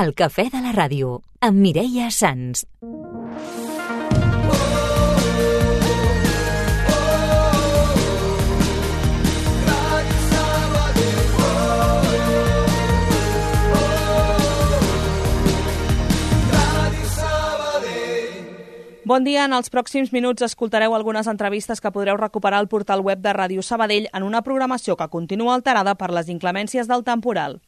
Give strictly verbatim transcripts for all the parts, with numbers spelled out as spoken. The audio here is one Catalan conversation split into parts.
El cafè de la ràdio, amb Mireia Sans. Bon dia. En els pròxims minuts escoltareu algunes entrevistes que podreu recuperar al portal web de Ràdio Sabadell en una programació que continua alterada per les inclemències del temporal.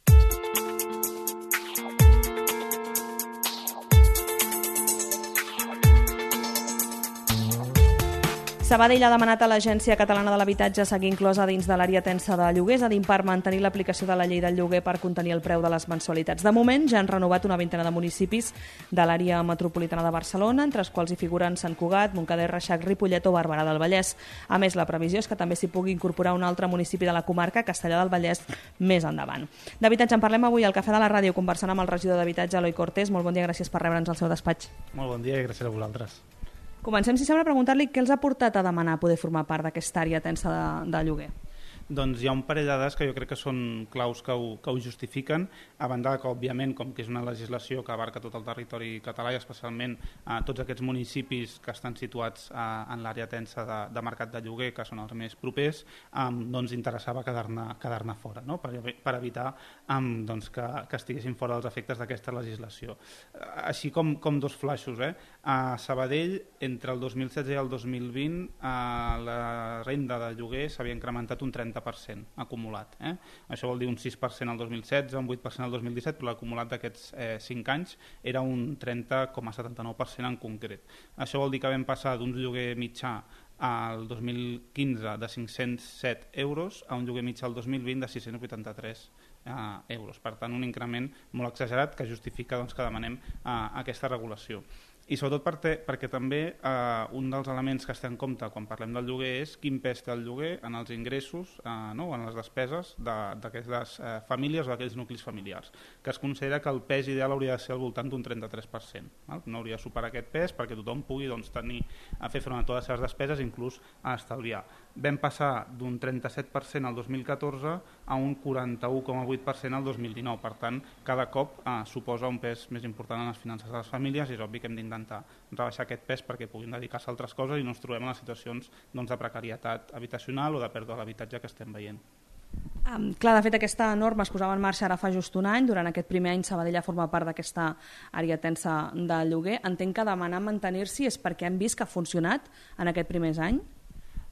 Sabadell ha demanat a l'Agència Catalana de l'Habitatge seguir inclosa dins de l'àrea tensa de lloguers, a dir, per mantenir l'aplicació de la llei del lloguer per contenir el preu de les mensualitats. De moment, ja han renovat una vintena de municipis de l'àrea metropolitana de Barcelona, entre els quals hi figuren Sant Cugat, Montcada i Reixac, Ripollet o Barberà del Vallès. A més, la previsió és que també s'hi pugui incorporar un altre municipi de la comarca, Castellar del Vallès, més endavant. D'habitatge en parlem avui al Cafè de la Ràdio, conversant amb el regidor d'Habitatge, Eloi Cortés. Molt bon dia, gràcies per rebre'ns al seu despatx. Molt bon dia i gràcies a vosaltres. Comencem, si sembla, a preguntar-li què els ha portat a demanar poder formar part d'aquesta àrea tensa de, de lloguer. Doncs hi ha un parell de dades que jo crec que són claus que ho, que ho justifiquen, a banda que, òbviament, com que és una legislació que abarca tot el territori català i especialment eh, tots aquests municipis que estan situats eh, en l'àrea tensa de, de mercat de lloguer, que són els més propers, eh, doncs interessava quedar-ne quedar-ne fora, no? per, per evitar eh, doncs que, que estiguessin fora dels efectes d'aquesta legislació. Eh, així com, com dos flaixos, eh? a Sabadell, entre el dos mil setze i el dos mil vint, eh, la renda de lloguer s'havia incrementat un trenta per cent acumulat. Eh? Això vol dir un sis per cent al dos mil setze, un vuit per cent al dos mil disset, però l'acumulat d'aquests eh, cinc anys era un trenta coma setanta-nou per cent en concret. Això vol dir que vam passar d'un lloguer mitjà al dos mil quinze de cinc-cents set euros a un lloguer mitjà al dos mil vint de sis-cents vuitanta-tres eh, euros. Per tant, un increment molt exagerat que justifica doncs, que demanem eh, aquesta regulació. I sobretot perquè, perquè també eh, un dels elements que es té en compte quan parlem del lloguer és quin pes té el lloguer en els ingressos eh, no? o en les despeses d'aquestes eh, famílies o d'aquells nuclis familiars, que es considera que el pes ideal hauria de ser al voltant d'un trenta-tres per cent. Val? No hauria de superar aquest pes perquè tothom pugui doncs, tenir a fer front a totes les seves despeses, inclús a estalviar. Vam passar d'un trenta-set per cent al dos mil catorze a un quaranta-u coma vuit per cent al dos mil dinou. Per tant, cada cop eh, suposa un pes més important en les finances de les famílies i és obvi que hem d'intentar rebaixar aquest pes perquè puguin dedicar-se a altres coses i no ens trobem en les situacions doncs, de precarietat habitacional o de pèrdua de l'habitatge que estem veient. Um, clar, de fet, aquesta norma es posava en marxa ara fa just un any. Durant aquest primer any Sabadell ha format part d'aquesta àrea tensa de lloguer. Entenc que demanar mantenir-s'hi és perquè hem vist que ha funcionat en aquest primer any?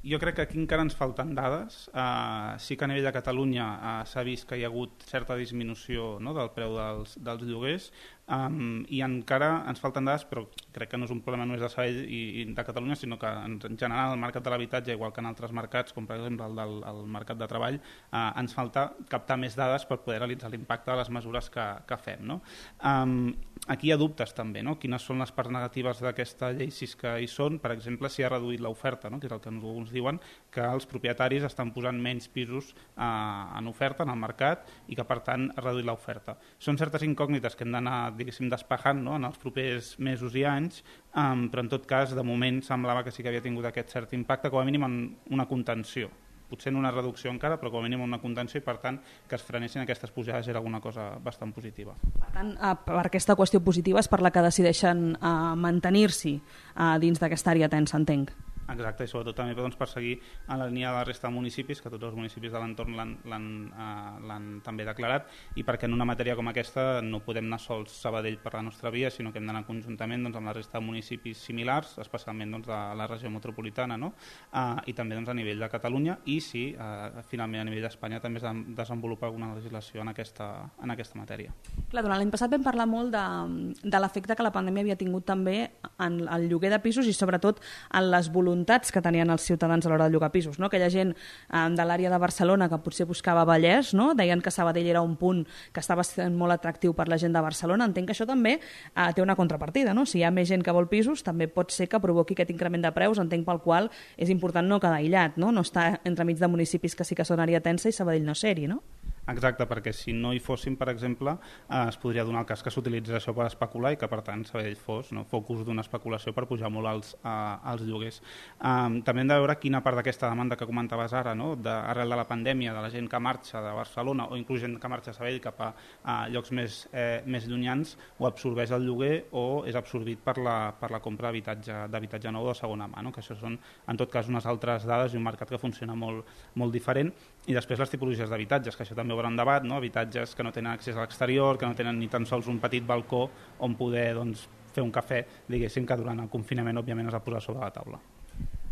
Jo crec que aquí encara ens falten dades. Uh, sí que a nivell de Catalunya uh, s'ha vist que hi ha hagut certa disminució no, del preu dels, dels lloguers, um, i encara ens falten dades, però crec que no és un problema només de Sabadell i, i de Catalunya, sinó que en, en general el mercat de l'habitatge, igual que en altres mercats, com per exemple el del el mercat de treball, uh, ens falta captar més dades per poder realitzar l'impacte de les mesures que, que fem. No? Um, aquí hi ha dubtes també, no? Quines són les parts negatives d'aquesta llei, si és que hi són, per exemple, si ha reduït l'oferta, no? que és el que alguns diuen que els propietaris estan posant menys pisos eh, en oferta en el mercat i que per tant ha reduït l'oferta. Són certes incògnites que hem d'anar diguéssim despejant no? en els propers mesos i anys, um, però en tot cas de moment semblava que sí que havia tingut aquest cert impacte, com a mínim en una contenció. Potser en una reducció encara, però com a mínim una contenció i per tant que es frenessin aquestes pujades era alguna cosa bastant positiva. Per tant, per aquesta qüestió positiva és per la que decideixen uh, mantenir-s'hi uh, dins d'aquesta àrea tensa, entenc. Exacte, i sobretot també doncs, per seguir en la línia de la resta de municipis, que tots els municipis de l'entorn l'han eh, també declarat, i perquè en una matèria com aquesta no podem anar sols Sabadell per la nostra via, sinó que hem d'anar conjuntament doncs, amb la resta de municipis similars, especialment doncs, de la regió metropolitana, no? eh, i també doncs, a nivell de Catalunya, i sí, eh, finalment a nivell d'Espanya també es desenvolupa alguna legislació en aquesta, en aquesta matèria. Clar, durant l'any passat vam parlar molt de, de l'efecte que la pandèmia havia tingut també en el lloguer de pisos i sobretot en les voluntats que tenien els ciutadans a l'hora de llogar pisos. No? Aquella gent eh, de l'àrea de Barcelona que potser buscava Vallès, no? Deien que Sabadell era un punt que estava sent molt atractiu per la gent de Barcelona. Entenc que això també eh, té una contrapartida. No? Si hi ha més gent que vol pisos, també pot ser que provoqui aquest increment de preus, entenc pel qual és important no quedar aïllat, no, no estar entremig de municipis que sí que són àrea tensa i Sabadell no ser-hi, no? Exacte, perquè si no hi fossin, per exemple, eh, es podria donar el cas que s'utilitzés això per especular i que, per tant, Sabadell fos no, focus d'una especulació per pujar molt els, eh, els lloguers. Um, també hem de veure quina part d'aquesta demanda que comentaves ara, no, de, arrel de la pandèmia, de la gent que marxa de Barcelona o inclús gent que marxa a Sabadell cap a, a llocs més, eh, més llunyans, o absorbeix el lloguer o és absorbit per la, per la compra d'habitatge nou de segona mà, no? Que això són, en tot cas, unes altres dades i un mercat que funciona molt, molt diferent. I després les tipologies d'habitatges, que això també obre un debat, no? Habitatges que no tenen accés a l'exterior, que no tenen ni tan sols un petit balcó on poder doncs, fer un cafè, diguéssim, que durant el confinament òbviament es va posar sobre la taula.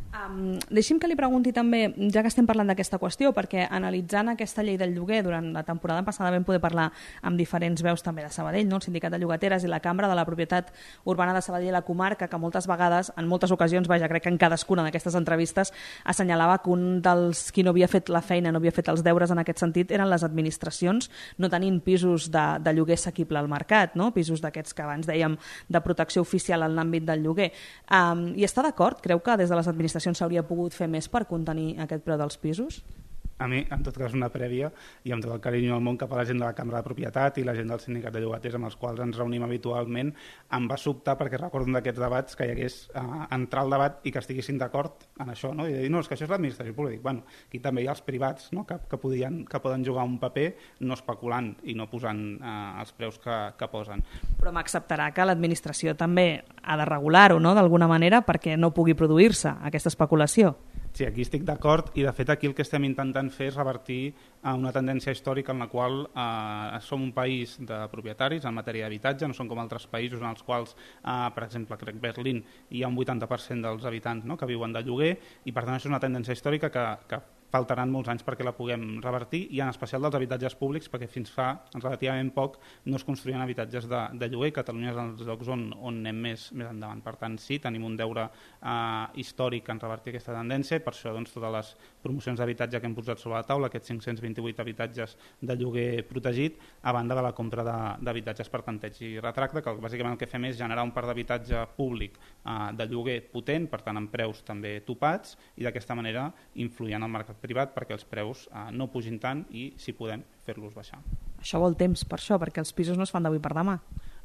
Um, deixi'm que li pregunti també, ja que estem parlant d'aquesta qüestió, perquè analitzant aquesta llei del lloguer durant la temporada passada vam poder parlar amb diferents veus també de Sabadell, no? El Sindicat de Llogateres i la Cambra de la Propietat Urbana de Sabadell i la comarca, que moltes vegades, en moltes ocasions, vaja, crec que en cadascuna d'aquestes entrevistes assenyalava que un dels qui no havia fet la feina, no havia fet els deures en aquest sentit, eren les administracions, no tenint pisos de, de lloguer assequible al mercat, no? Pisos d'aquests que abans dèiem de protecció oficial en l'àmbit del lloguer. Um, I està d'acord? Creu que des de les administracions s'hauria pogut fer més per contenir aquest preu dels pisos? A mi, en tot cas, una prèvia, i amb tot el carinyo del món cap a la gent de la Cambra de Propietat i la gent del Sindicat de Llogaters amb els quals ens reunim habitualment, em va sobtar perquè recordo un d'aquests debats que hi hagués eh, entrar al debat i que estiguessin d'acord en això, no? I dir, no, és que això és l'administració pública. Bueno, aquí també hi ha els privats, no? que, que, podien, que poden jugar un paper no especulant i no posant eh, els preus que, que posen. Però m'acceptarà que l'administració també ha de regular-ho, no?, d'alguna manera, perquè no pugui produir-se aquesta especulació. Sí, aquí estic d'acord i de fet aquí el que estem intentant fer és revertir a una tendència històrica en la qual eh, som un país de propietaris en matèria d'habitatge, no són com altres països en els quals, eh, per exemple, crec Berlín, hi ha un vuitanta per cent dels habitants, no?, que viuen de lloguer, i per tant això és una tendència històrica que, que faltaran molts anys perquè la puguem revertir, i en especial dels habitatges públics, perquè fins fa relativament poc no es construïen habitatges de, de lloguer. Catalunya és els llocs on, on anem més, més endavant. Per tant, sí, tenim un deure eh, històric en revertir aquesta tendència, i per això doncs, totes les promocions d'habitatge que hem posat sobre la taula, aquests cinc-cents vint-i-vuit habitatges de lloguer protegit, a banda de la compra d'habitatges per tanteig i retracte, que bàsicament el que fem és generar un parc d'habitatge públic eh, de lloguer potent, per tant amb preus també topats, i d'aquesta manera influir en el mercat privat perquè els preus eh, no pugin tant i, si podem, fer-los baixar. Això vol temps per això, perquè els pisos no es fan d'avui per demà.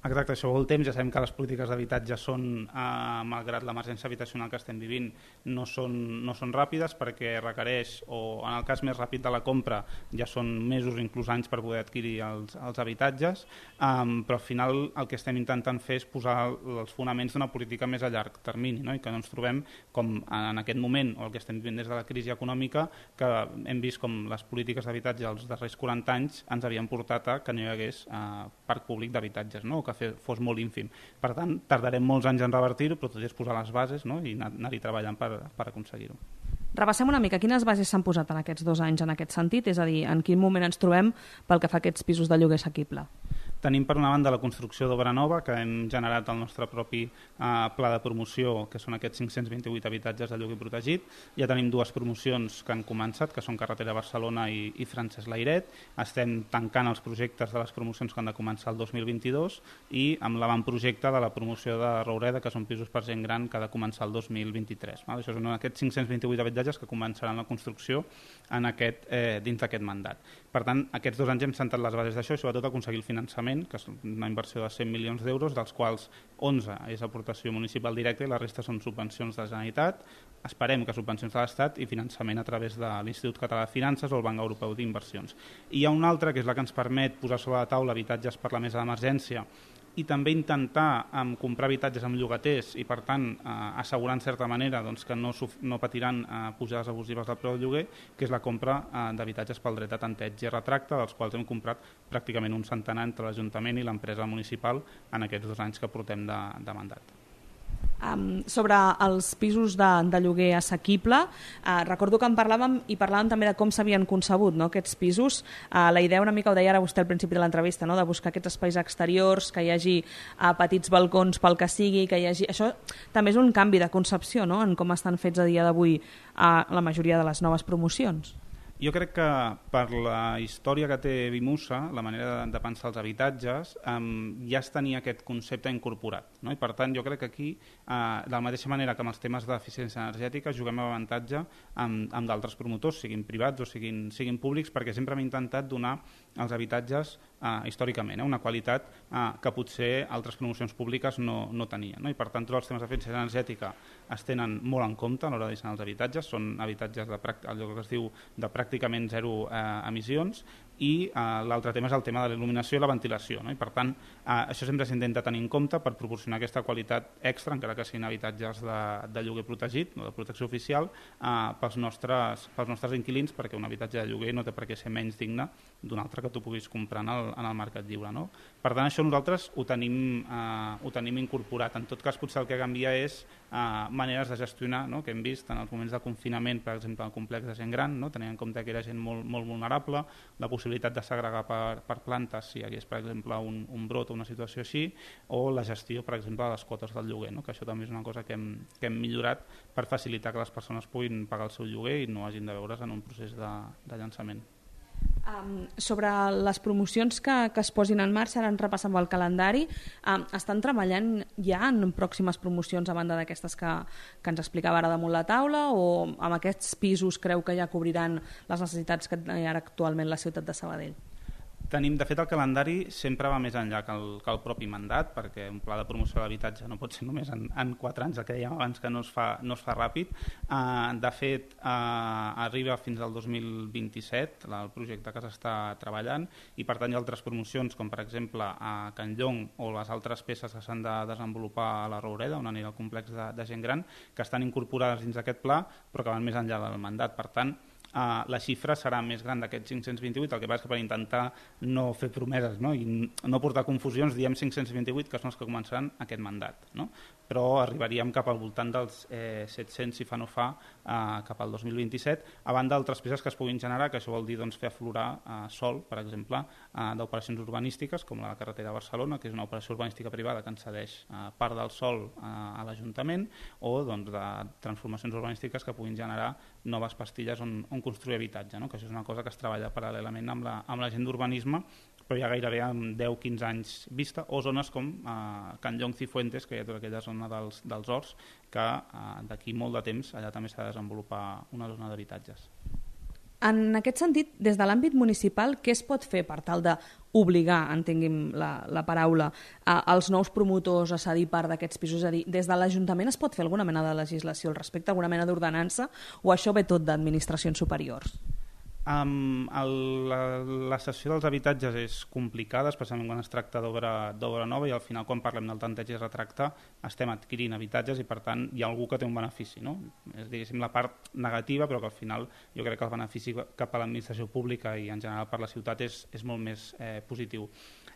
Exacte, això vol temps. Ja sabem que les polítiques d'habitatge són, eh, malgrat l'emergència habitacional que estem vivint, no són, no són ràpides, perquè requereix, o en el cas més ràpid de la compra, ja són mesos, inclús anys, per poder adquirir els, els habitatges, um, però al final el que estem intentant fer és posar els fonaments d'una política més a llarg termini, no? I que no ens trobem com en aquest moment, o el que estem vivint des de la crisi econòmica, que hem vist com les polítiques d'habitatge els darrers quaranta anys ens havien portat a que no hi hagués eh, parc públic d'habitatges, no? Que fos molt ínfim. Per tant, tardarem molts anys en revertir-ho, però tot és posar les bases, no?, i anar-hi treballant per, per aconseguir-ho. Repassem una mica. Quines bases s'han posat en aquests dos anys en aquest sentit? És a dir, en quin moment ens trobem pel que fa a aquests pisos de lloguer assequible? Tenim, per una banda, la construcció d'obra nova, que hem generat el nostre propi eh, pla de promoció, que són aquests cinc-cents vint-i-vuit habitatges de lloguer protegit. Ja tenim dues promocions que han començat, que són Carretera Barcelona i, i Francesc Layret. Estem tancant els projectes de les promocions que han de començar el dos mil vint-i-dos i amb l'avantprojecte de la promoció de Roureda, que són pisos per gent gran, que ha de començar el dos mil vint-i-tres. Val? Això són aquests cinc-cents vint-i-vuit habitatges que començaran la construcció en aquest, eh, dins d'aquest mandat. Per tant, aquests dos anys hem sentat les bases d'això i sobretot aconseguir el finançament, que és una inversió de cent milions d'euros, dels quals onze és aportació municipal directa i la resta són subvencions de la Generalitat. Esperem que subvencions de l'Estat i finançament a través de l'Institut Català de Finances o el Banc Europeu d'Inversions. I hi ha una altra, que és la que ens permet posar sobre la taula habitatges per la mesa d'emergència i també intentar um, comprar habitatges amb llogaters i, per tant, uh, assegurar en certa manera doncs, que no, no patiran uh, pujades abusives del preu del lloguer, que és la compra uh, d'habitatges pel dret a tanteig i retracte, dels quals hem comprat pràcticament un centenar entre l'Ajuntament i l'empresa municipal en aquests dos anys que portem de, de mandat. Um, sobre els pisos de, de lloguer assequible, uh, recordo que en parlàvem i parlàvem també de com s'havien concebut, no?, aquests pisos. Uh, la idea una mica ho deia ara vostè al principi de l'entrevista, no?, de buscar aquests espais exteriors, que hi hagi uh, petits balcons pel que sigui, que hi hagi... Això també és un canvi de concepció, no?, en com estan fets a dia d'avui uh, la majoria de les noves promocions. Jo crec que per la història que té Vimusa, la manera de, de pensar els habitatges, um, ja es tenia aquest concepte incorporat, no? I per tant jo crec que aquí, uh, de la mateixa manera que amb els temes d'eficiència energètica, juguem a avantatge amb, amb d'altres promotors, siguin privats o siguin, siguin públics, perquè sempre hem intentat donar als habitatges uh, històricament eh, una qualitat uh, que potser altres promocions públiques no, no tenien, no? I per tant tots els temes d'eficiència energètica es tenen molt en compte a l'hora de dissenyar els habitatges, són habitatges de allò que es diu de pràcticament zero eh, emissions, i eh, l'altre tema és el tema de la il·luminació i la ventilació, no? I per tant eh, això sempre s'intenta tenir en compte per proporcionar aquesta qualitat extra, encara que siguin habitatges de, de lloguer protegit, no de protecció oficial, eh, pels, nostres, pels nostres inquilins, perquè un habitatge de lloguer no té per què ser menys digne d'un altre que tu puguis comprar en el, en el mercat lliure, no? Per tant, això nosaltres ho tenim, eh, ho tenim incorporat. En tot cas, potser el que canvia és eh, maneres de gestionar, no? Que hem vist en els moments de confinament, per exemple, al complex de gent gran, no? Tenint en compte que era gent molt, molt vulnerable, la possibilitat de segregar per, per plantes si hi hagués, per exemple, un, un brot o una situació així, o la gestió, per exemple, de les quotes del lloguer, no? Que això també és una cosa que hem, que hem millorat per facilitar que les persones puguin pagar el seu lloguer i no hagin de veure's en un procés de, de llançament. Um, sobre les promocions que, que es posin en marxa, ara en repassem el calendari, um, estan treballant ja en pròximes promocions a banda d'aquestes que, que ens explicava ara damunt la taula, o amb aquests pisos creu que ja cobriran les necessitats que hi ha actualment la ciutat de Sabadell? Tenim, de fet, el calendari sempre va més enllà que el, que el propi mandat, perquè un pla de promoció de l'habitatge no pot ser només en, en quatre anys, el que dèiem abans que no es fa, no es fa ràpid. Uh, de fet, uh, arriba fins al dos mil vint-i-set el projecte que s'està treballant, i per tant hi ha altres promocions, com per exemple a Can Llong o les altres peces que s'han de desenvolupar a la Roureda, on anirà el complex de, de gent gran, que estan incorporades dins d'aquest pla, però que van més enllà del mandat. Per tant, Uh, la xifra serà més gran d'aquests cinc-cents vint-i-vuit, el que passa és que per intentar no fer promeses, no? I no portar confusions, diem cinc-cents vint-i-vuit, que són els que començaran aquest mandat, no? Però arribaríem cap al voltant dels eh, set-cents, si fa no fa, eh, cap al dos mil vint-i-set, a banda d'altres peces que es puguin generar, que això vol dir doncs, fer aflorar eh, sòl, per exemple, eh, d'operacions urbanístiques, com la carretera de Barcelona, que és una operació urbanística privada que ens cedeix eh, part del sòl eh, a l'Ajuntament, o doncs, de transformacions urbanístiques que puguin generar noves pastilles on, on construir habitatge, no? Que això és una cosa que es treballa paral·lelament amb la, amb la gent d'urbanisme, però ja gairebé amb deu quinze anys vista, o zones com eh, Can Llong Cifuentes, que hi ha tota aquella zona dels, dels horts, que eh, d'aquí molt de temps allà també s'ha de desenvolupar una zona d'habitatges. En aquest sentit, des de l'àmbit municipal, què es pot fer per tal d'obligar, entenguem la, la paraula, a, als nous promotors a cedir part d'aquests pisos? És a dir, des de l'Ajuntament es pot fer alguna mena de legislació al respecte, alguna mena d'ordenança, o això ve tot d'administracions superiors? Um, el, la, la cessió dels habitatges és complicada, especialment quan es tracta d'obra nova, i al final quan parlem del tanteig i retracte estem adquirint habitatges i per tant hi ha algú que té un benefici, no? És diguéssim la part negativa, però que al final jo crec que el benefici cap a l'administració pública i en general per la ciutat és, és molt més eh, positiu.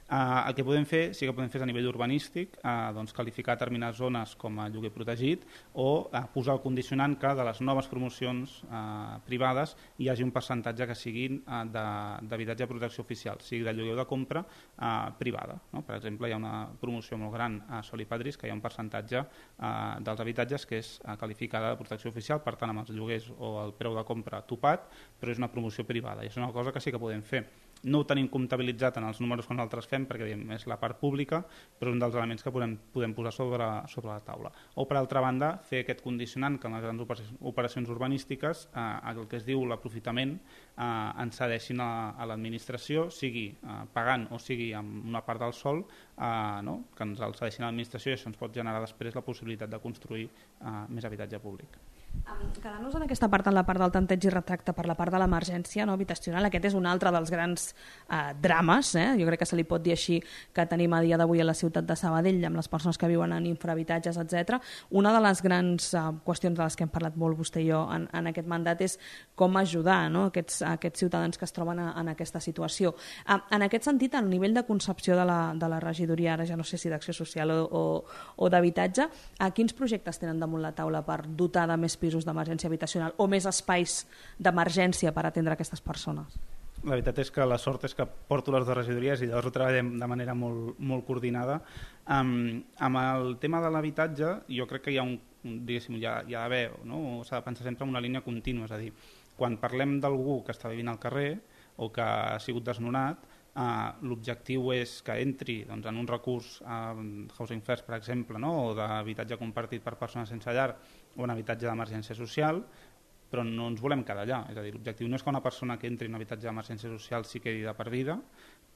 Uh, el que podem fer, sí que podem fer a nivell urbanístic, uh, doncs qualificar determinades zones com a lloguer protegit o uh, posar el condicionant que de les noves promocions uh, privades hi hagi un percentatge que siguin uh, d'habitatge de protecció oficial, sigui de lloguer o de compra uh, privada, no? Per exemple, hi ha una promoció molt gran a Sol i Padris que hi ha un percentatge uh, dels habitatges que és uh, qualificada de protecció oficial, per tant amb els lloguers o el preu de compra topat, però és una promoció privada i és una cosa que sí que podem fer. No ho tenim comptabilitzat en els números que nosaltres fem perquè diem, és la part pública, però és un dels elements que podem, podem posar sobre, sobre la taula. O, per altra banda, fer aquest condicionant que en les grans operacions urbanístiques eh, el que es diu l'aprofitament eh, ens cedeixin a, a l'administració, sigui eh, pagant o sigui amb una part del sòl, eh, no? Que ens el cedeixin a l'administració i això ens pot generar després la possibilitat de construir eh, més habitatge públic. Quedant-nos en aquesta part, en la part del tanteig i retracte per la part de l'emergència no, habitacional, aquest és un altre dels grans eh, drames, eh? Jo crec que se li pot dir així, que tenim a dia d'avui a la ciutat de Sabadell amb les persones que viuen en infrahabitatges, etcètera. Una de les grans eh, qüestions de les que hem parlat molt vostè i jo en, en aquest mandat és com ajudar no, aquests, aquests ciutadans que es troben a, en aquesta situació. Eh, en aquest sentit, el nivell de concepció de la, de la regidoria, ara ja no sé si d'acció social o, o, o d'habitatge, eh, quins projectes tenen damunt la taula per dotar de més pisos d'emergència habitacional o més espais d'emergència per atendre aquestes persones? La veritat és que la sort és que porto les dues regidories i llavors ho treballem de manera molt, molt coordinada. Um, amb el tema de l'habitatge jo crec que hi ha un, diguéssim, hi ha, hi ha d'haver, no? S'ha de pensar sempre en una línia contínua, és a dir, quan parlem d'algú que està vivint al carrer o que ha sigut desnonat, Uh, l'objectiu és que entri doncs, en un recurs a uh, Housing First, per exemple, no? O d'habitatge compartit per persones sense llar o en habitatge d'emergència social, però no ens volem quedar allà. És a dir, l'objectiu no és que una persona que entri en habitatge d'emergència social s'hi quedi de per vida,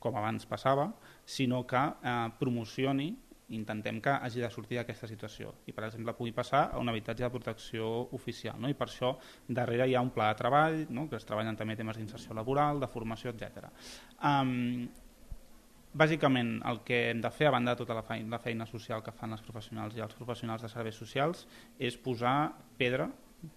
com abans passava, sinó que uh, promocioni, intentem que hagi de sortir d'aquesta situació i, per exemple, pugui passar a un habitatge de protecció oficial. No? I per això darrere hi ha un pla de treball, no? Que es treballen també temes d'inserció laboral, de formació, etcètera. Um, bàsicament, el que hem de fer, a banda de tota la feina, la feina social que fan les professionals i els professionals de serveis socials, és posar pedra,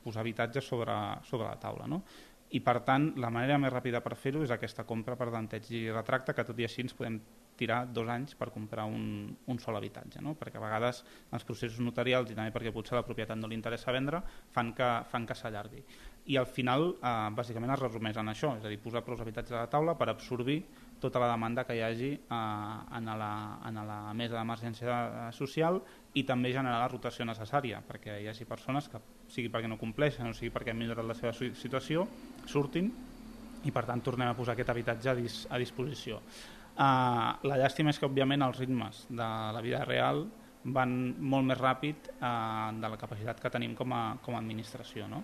posar habitatge sobre, sobre la taula. No? I, per tant, la manera més ràpida per fer-ho és aquesta compra per tanteig i retracte, que tot i així ens podem tirar dos anys per comprar un, un sol habitatge, no? Perquè a vegades els processos notarials i també perquè potser la propietat no li interessa vendre fan que, fan que s'allargui. I al final, eh, bàsicament es resumeix en això, és a dir, posar prou habitatges a la taula per absorbir tota la demanda que hi hagi eh, en, la, en la mesa d'emergència social i també generar la rotació necessària perquè hi hagi persones que, sigui perquè no compleixen o sigui perquè han millorat la seva situació, surtin i per tant tornem a posar aquest habitatge a, dis, a disposició. Uh, la llàstima és que òbviament els ritmes de la vida real van molt més ràpid uh, de la capacitat que tenim com a, com a administració. No?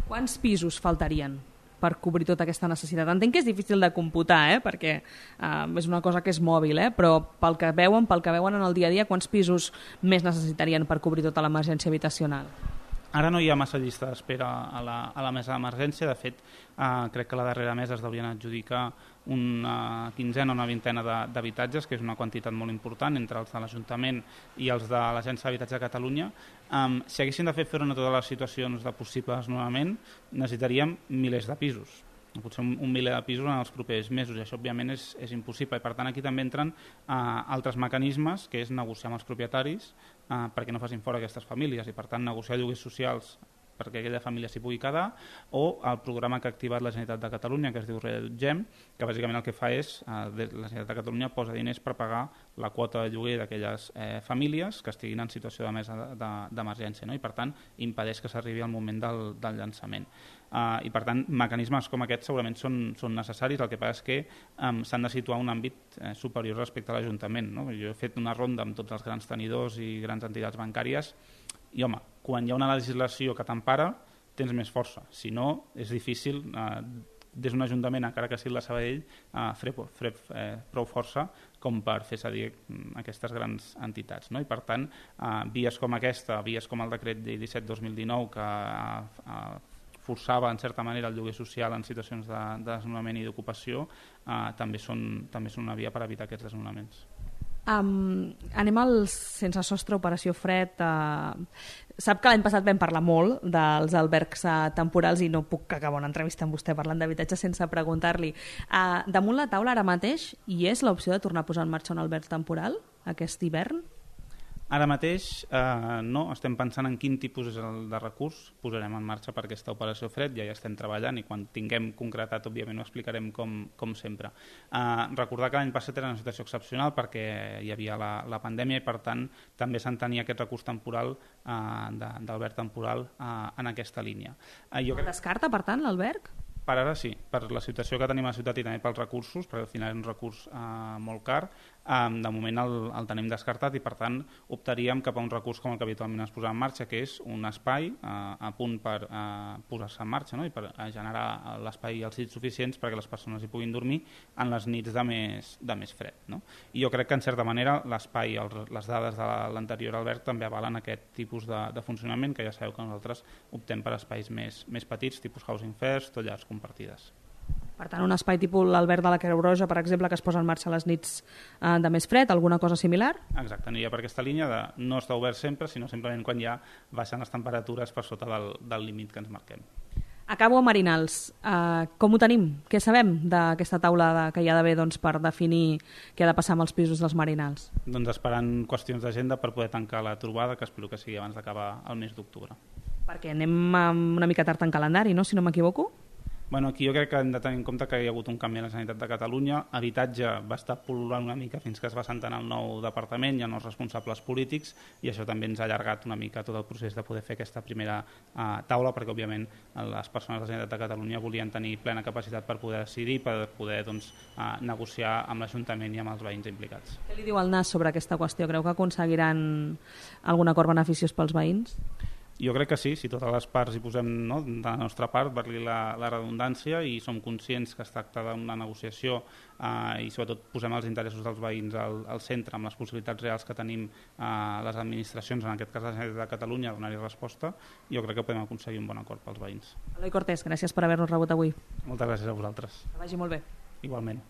Quants pisos faltarien per cobrir tota aquesta necessitat? Entenc que és difícil de computar, eh? Perquè uh, és una cosa que és mòbil, eh? Però pel que veuen, pel que veuen en el dia a dia, quants pisos més necessitarien per cobrir tota l'emergència habitacional? Ara no hi ha massa llista d'espera a, la, a la mesa d'emergència. De fet, eh, crec que a la darrera mesa es deurien adjudicar una quinzena o una vintena d'habitatges, que és una quantitat molt important entre els de l'Ajuntament i els de l'Agència d'Habitatge de Catalunya. Um, si haguessin de fer front a totes les situacions de possible desnonament, necessitaríem milers de pisos. Potser un, un miler de pisos en els propers mesos, i això òbviament és, és impossible. I per tant aquí també entren uh, altres mecanismes, que és negociar amb els propietaris uh, perquè no facin fora aquestes famílies i per tant negociar lloguers socials perquè aquella família s'hi pugui quedar, o el programa que ha activat la Generalitat de Catalunya, que es diu Reallotgem, que bàsicament el que fa és, eh, la Generalitat de Catalunya posa diners per pagar la quota de lloguer d'aquelles eh, famílies que estiguin en situació de mesa d'emergència, no? I per tant impedeix que s'arribi al moment del, del llançament. Uh, I per tant mecanismes com aquests segurament són, són necessaris, el que passa és que um, s'han de situar un àmbit eh, superior respecte a l'Ajuntament, no? Jo he fet una ronda amb tots els grans tenidors i grans entitats bancàries i, home, quan hi ha una legislació que t'empara, tens més força. Si no, és difícil, eh, des d'un ajuntament, encara que sigui la Sabadell, eh, fer, fer eh, prou força com per fer cedir aquestes grans entitats. No? I, per tant, eh, vies com aquesta, vies com el decret llei disset dos mil dinou, que eh, eh, forçava, en certa manera, el lloguer social en situacions de, de desnonament i d'ocupació, eh, també, són, també són una via per evitar aquests desnonaments. Um, anem al Sense Sostre, Operació Fred. Uh, sap que l'any passat vam parlar molt dels albergs uh, temporals i no puc acabar una entrevista amb vostè parlant d'habitatge sense preguntar-li. Uh, damunt la taula ara mateix hi és l'opció de tornar a posar en marxa un alberg temporal aquest hivern? Ara mateix eh, no, estem pensant en quin tipus és el de recurs posarem en marxa per aquesta operació Fred, ja hi estem treballant i quan tinguem concretat, òbviament, ho explicarem com, com sempre. Eh, recordar que l'any passat era una situació excepcional perquè hi havia la, la pandèmia i, per tant, també s'entenia aquest recurs temporal eh, d'alberg temporal eh, en aquesta línia. Eh, jo crec... Descarta, per tant, l'alberg? Per ara sí, per la situació que tenim a la ciutat i també pels recursos, perquè al final és un recurs eh, molt car, eh, de moment el, el tenim descartat i per tant optaríem cap a un recurs com el que habitualment es posa en marxa, que és un espai eh, a punt per eh, posar-se en marxa, no? I per eh, generar l'espai i els llits suficients perquè les persones hi puguin dormir en les nits de més, de més fred. No? I jo crec que en certa manera l'espai, les dades de l'anterior alberg també avalen aquest tipus de, de funcionament, que ja sabeu que nosaltres optem per espais més, més petits, tipus Housing First o llars compartides. Per tant, un espai tipus l'alberg de la Creu Roja, per exemple, que es posa en marxa a les nits eh, de més fred, alguna cosa similar? Exacte, aniria per aquesta línia de no estar obert sempre, sinó simplement quan ja baixen les temperatures per sota del, del límit que ens marquem. Acabo a Marinals. Uh, com ho tenim? Què sabem d'aquesta taula de, que hi ha d'haver doncs, per definir què ha de passar amb els pisos dels Marinals? Doncs esperant qüestions d'agenda per poder tancar la trobada, que espero que sigui abans d'acabar el mes d'octubre. Perquè anem una mica tard en calendari, no?, si no m'equivoco? Bueno, aquí jo crec que hem de tenir en compte que hi ha hagut un canvi a la Generalitat de Catalunya. Habitatge va estar pol·lulant una mica fins que es va assentar en el nou departament, hi ha nous responsables polítics, i això també ens ha allargat una mica tot el procés de poder fer aquesta primera uh, taula, perquè òbviament les persones de la Generalitat de Catalunya volien tenir plena capacitat per poder decidir, per poder doncs, uh, negociar amb l'Ajuntament i amb els veïns implicats. Què li diu el N A S sobre aquesta qüestió? Creu que aconseguiran algun acord beneficiós pels veïns? Jo crec que sí, si totes les parts hi posem, no, de la nostra part, per-li la, la redundància, i som conscients que es tracta d'una negociació eh, i sobretot posem els interessos dels veïns al, al centre, amb les possibilitats reals que tenim eh, les administracions, en aquest cas la Generalitat de Catalunya, a donar-hi resposta, jo crec que podem aconseguir un bon acord pels veïns. Eloi Cortés, gràcies per haver-nos rebut avui. Moltes gràcies a vosaltres. Que vagi molt bé. Igualment.